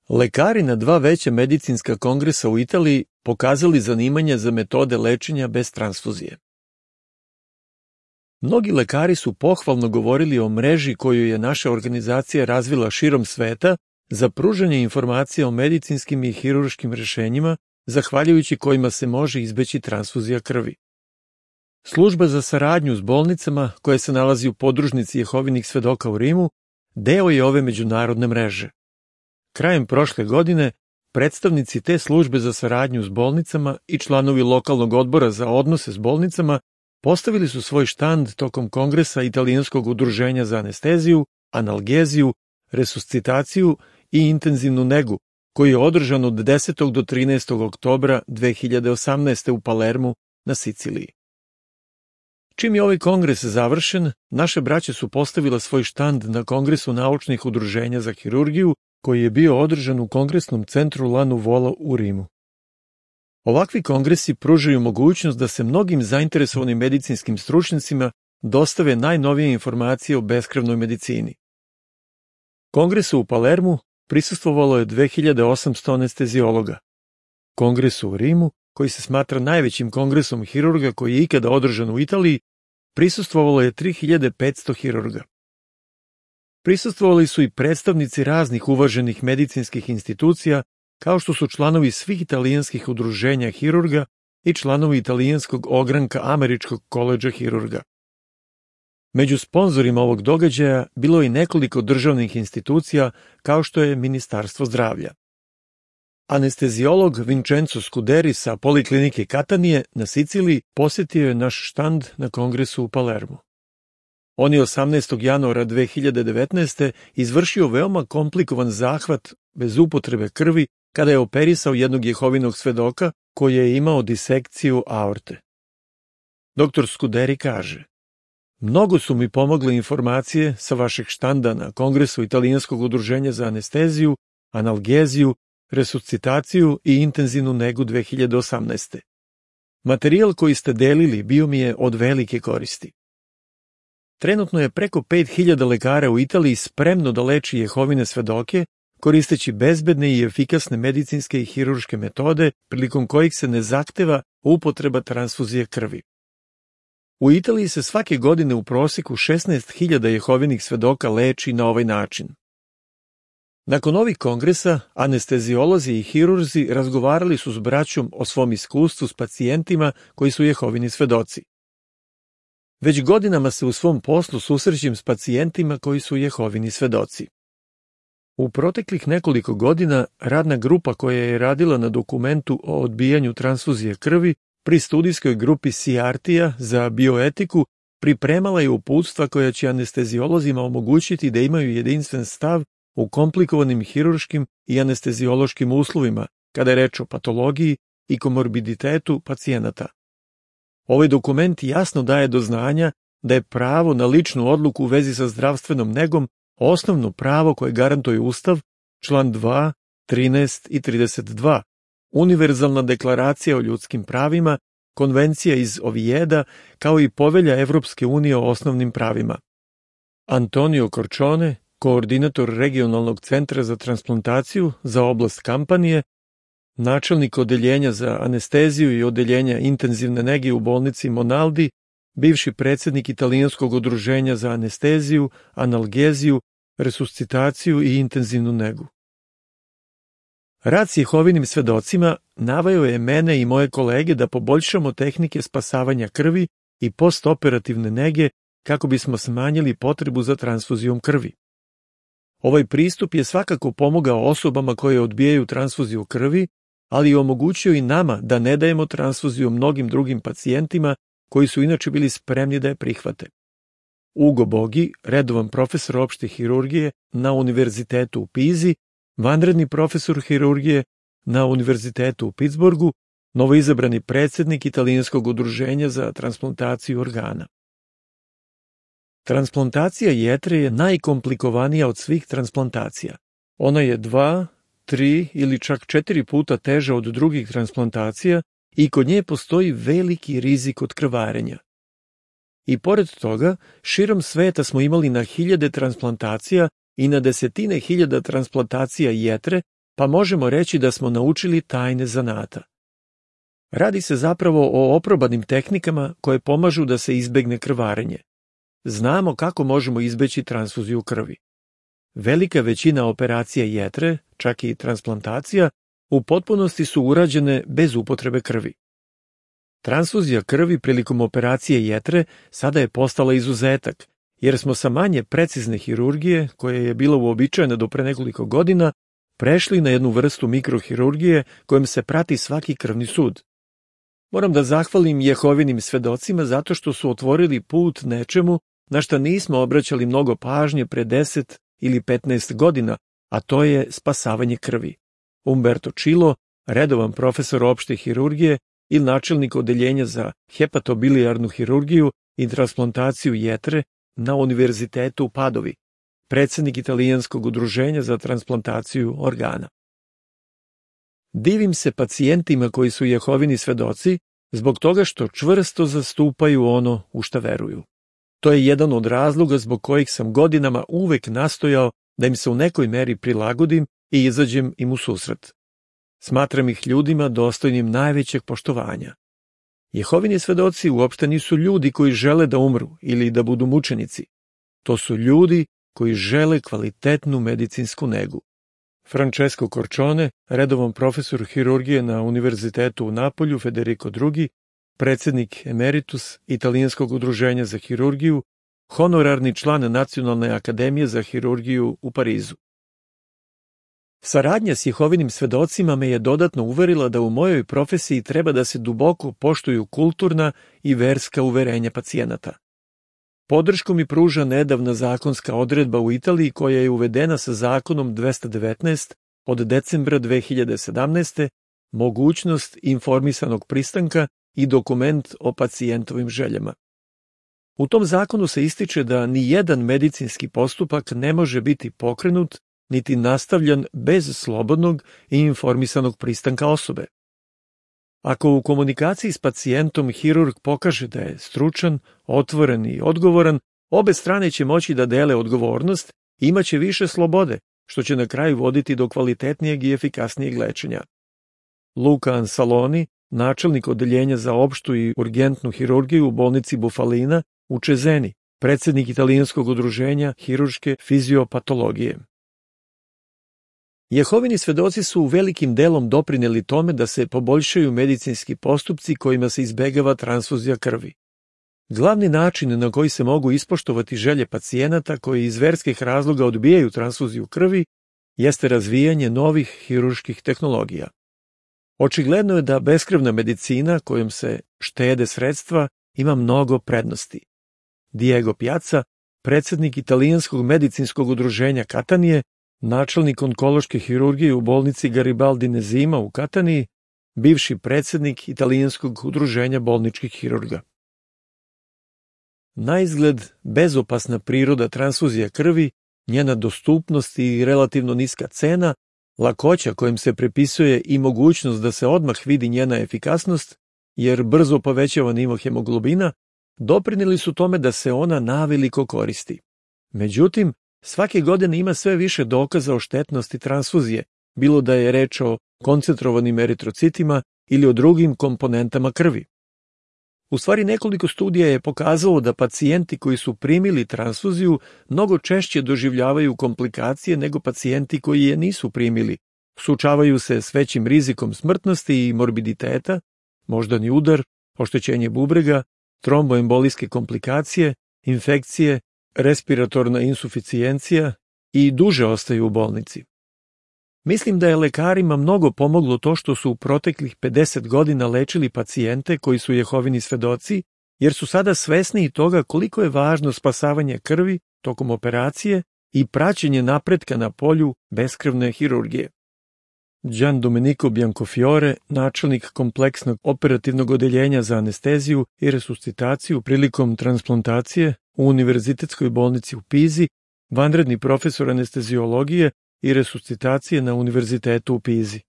Lekari na 2 veća medicinska kongresa u Italiji pokazali zanimanje za metode lečenja bez transfuzije. Mnogi lekari su pohvalno govorili o mreži koju je naša organizacija razvila širom sveta za pružanje informacija o medicinskim i hirurškim rešenjima, zahvaljujući kojima se može izbeći transfuzija krvi. Služba za saradnju s bolnicama, koja se nalazi u podružnici Jehovinih svedoka u Rimu, deo je ove međunarodne mreže. Krajem prošle godine, predstavnici te službe za saradnju s bolnicama i članovi lokalnog odbora za odnose s bolnicama postavili su svoj štand tokom kongresa Italijanskog udruženja za anesteziju, analgeziju, resuscitaciju i intenzivnu negu, koji je održan od 10. do 13. oktobra 2018. u Palermu na Siciliji. Čim je ovaj kongres završen, naše braće su postavila svoj štand na Kongresu naučnih udruženja za hirurgiju, koji je bio održan u Kongresnom centru La Nuvola u Rimu. Ovakvi kongresi pružaju mogućnost da se mnogim zainteresovanim medicinskim stručnjacima dostave najnovije informacije o beskrvnoj medicini. Kongresu u Palermu prisustvovalo je 2800 anesteziologa. Kongresu u Rimu, koji se smatra najvećim kongresom hirurga koji je ikada održan u Italiji, prisustvovalo je 3500 hirurga. Prisustvovali su i predstavnici raznih uvaženih medicinskih institucija, kao što su članovi svih italijanskih udruženja hirurga i članovi italijanskog ogranka Američkog koledža hirurga. Među sponzorima ovog događaja bilo je i nekoliko državnih institucija, kao što je Ministarstvo zdravlja. Anesteziolog Vincenzo Scuderi sa Poliklinike Katanije na Siciliji posjetio je naš štand na kongresu u Palermu. On je 18. januara 2019. izvršio veoma komplikovan zahvat bez upotrebe krvi kada je operisao jednog Jehovinog svedoka koji je imao disekciju aorte. Dr. Scuderi kaže: "Mnogo su mi pomogle informacije sa vašeg štanda na kongresu Italijanskog udruženja za anesteziju, analgeziju, resuscitaciju i intenzivnu negu 2018. Materijal koji ste delili bio mi je od velike koristi." Trenutno je preko 5000 lekara u Italiji spremno da leči Jehovine svedoke, koristeći bezbedne i efikasne medicinske i hirurške metode, prilikom kojih se ne zahteva upotreba transfuzije krvi. U Italiji se svake godine u proseku 16.000 Jehovinih svedoka leči na ovaj način. Nakon ovih kongresa, anesteziolozi i hirurzi razgovarali su s braćom o svom iskustvu s pacijentima koji su Jehovini svedoci. Već godinama se u svom poslu susrećem s pacijentima koji su Jehovini svedoci. U proteklih nekoliko godina radna grupa koja je radila na dokumentu o odbijanju transfuzije krvi pri studijskoj grupi SIARTija za bioetiku pripremala je uputstva koja će anesteziolozima omogućiti da imaju jedinstven stav u komplikovanim hirurškim i anesteziološkim uslovima kada je reč o patologiji i komorbiditetu pacijenata. Ovaj dokument jasno daje do znanja da je pravo na ličnu odluku u vezi sa zdravstvenom negom osnovno pravo koje garantuje Ustav, član 2, 13 i 32, Univerzalna deklaracija o ljudskim pravima, Konvencija iz Ovijeda, kao i Povelja Evropske unije o osnovnim pravima. Antonio Corcione, koordinator regionalnog centra za transplantaciju za oblast Kampanije, načelnik odeljenja za anesteziju i odeljenja intenzivne nege u bolnici Monaldi, bivši predsjednik Italijanskog udruženja za anesteziju, analgeziju, resuscitaciju i intenzivnu negu. Rad s Jehovinim svedocima naveo je mene i moje kolege da poboljšamo tehnike spasavanja krvi i postoperativne nege kako bismo smanjili potrebu za transfuzijom krvi. Ovaj pristup je svakako pomogao osobama koje odbijaju transfuziju krvi, ali je omogućio i nama da ne dajemo transfuziju mnogim drugim pacijentima koji su inače bili spremni da je prihvate. Ugo Bogi, redovan profesor opšte hirurgije na Univerzitetu u Pizi, vanredni profesor hirurgije na Univerzitetu u Pittsburghu, novoizabrani predsjednik Italijanskog udruženja za transplantaciju organa. Transplantacija jetre je najkomplikovanija od svih transplantacija. Ona je 2, 3 ili čak 4 puta teža od drugih transplantacija i kod nje postoji veliki rizik od krvarenja. I pored toga, širom sveta smo imali na hiljade transplantacija i na desetine hiljada transplantacija jetre, pa možemo reći da smo naučili tajne zanata. Radi se zapravo o oprobanim tehnikama koje pomažu da se izbegne krvarenje. Znamo kako možemo izbeći transfuziju krvi. Velika većina operacija jetre, čak i transplantacija, u potpunosti su urađene bez upotrebe krvi. Transfuzija krvi prilikom operacije jetre sada je postala izuzetak, jer smo sa manje precizne hirurgije, koja je bila uobičajena do pre nekoliko godina, prešli na jednu vrstu mikrohirurgije kojom se prati svaki krvni sud. Moram da zahvalim Jehovinim svedocima zato što su otvorili put nečemu na šta nismo obraćali mnogo pažnje pre 10 ili 15 godina, a to je spasavanje krvi. Umberto Čilo, redovan profesor opšte hirurgije i načelnik odeljenja za hepatobilijarnu hirurgiju i transplantaciju jetre na Univerzitetu u Padovi, predsjednik Italijanskog udruženja za transplantaciju organa. Divim se pacijentima koji su Jehovini svedoci zbog toga što čvrsto zastupaju ono u šta veruju. To je jedan od razloga zbog kojih sam godinama uvek nastojao da im se u nekoj meri prilagodim i izađem im u susret. Smatram ih ljudima dostojnim najvećeg poštovanja. Jehovini svedoci uopšte nisu ljudi koji žele da umru ili da budu mučenici. To su ljudi koji žele kvalitetnu medicinsku negu. Francesco Corcione, redovan profesor hirurgije na Univerzitetu u Napolju, Federico II, predsjednik emeritus Italijanskog udruženja za hirurgiju, honorarni član Nacionalne akademije za hirurgiju u Parizu. Saradnja s Jehovinim svedocima me je dodatno uverila da u mojoj profesiji treba da se duboko poštuju kulturna i verska uverenja pacijenata. Podršku mi pruža nedavna zakonska odredba u Italiji koja je uvedena sa zakonom 219 od decembra 2017. mogućnost informisanog pristanka i dokument o pacijentovim željama. U tom zakonu se ističe da ni jedan medicinski postupak ne može biti pokrenut niti nastavljan bez slobodnog i informisanog pristanka osobe. Ako u komunikaciji s pacijentom hirurg pokaže da je stručan, otvoren i odgovoran, obe strane će moći da dele odgovornost i imaće više slobode, što će na kraju voditi do kvalitetnijeg i efikasnijeg lečenja. Luca Ansaloni, načelnik odeljenja za opštu i urgentnu hirurgiju u bolnici Bufalina u Čezeni, predsjednik Italijanskog udruženja hirurške fiziopatologije. Jehovini svedoci su velikim delom doprineli tome da se poboljšaju medicinski postupci kojima se izbegava transfuzija krvi. Glavni način na koji se mogu ispoštovati želje pacijenata koji iz verskih razloga odbijaju transfuziju krvi jeste razvijanje novih hirurških tehnologija. Očigledno je da beskrvna medicina kojom se štede sredstva ima mnogo prednosti. Diego Piazza, predsjednik Italijanskog medicinskog udruženja Katanije, načelnik onkološke hirurgije u bolnici Garibaldi Nezima u Kataniji, bivši predsjednik Italijanskog udruženja bolničkih hirurga. Naizgled bezopasna priroda transfuzija krvi, njena dostupnost i relativno niska cena, lakoća kojim se prepisuje i mogućnost da se odmah vidi njena efikasnost, jer brzo povećava nivo hemoglobina, doprinijeli su tome da se ona naveliko koristi. Međutim, svake godine ima sve više dokaza o štetnosti transfuzije, bilo da je reč o koncentrovanim eritrocitima ili o drugim komponentama krvi. U stvari nekoliko studija je pokazalo da pacijenti koji su primili transfuziju mnogo češće doživljavaju komplikacije nego pacijenti koji je nisu primili, suočavaju se s većim rizikom smrtnosti i morbiditeta, moždani udar, oštećenje bubrega, tromboembolijske komplikacije, infekcije, respiratorna insuficijencija i duže ostaju u bolnici. Mislim da je lekarima mnogo pomoglo to što su u proteklih 50 godina lečili pacijente koji su Jehovini svedoci, jer su sada svesni toga koliko je važno spasavanje krvi tokom operacije i praćenje napretka na polju beskrvne hirurgije. Gian Domenico Biancofiore, načelnik kompleksnog operativnog odeljenja za anesteziju i resuscitaciju prilikom transplantacije u Univerzitetskoj bolnici u Pizi, vanredni profesor anesteziologije i resuscitacije na Univerzitetu u Pizi.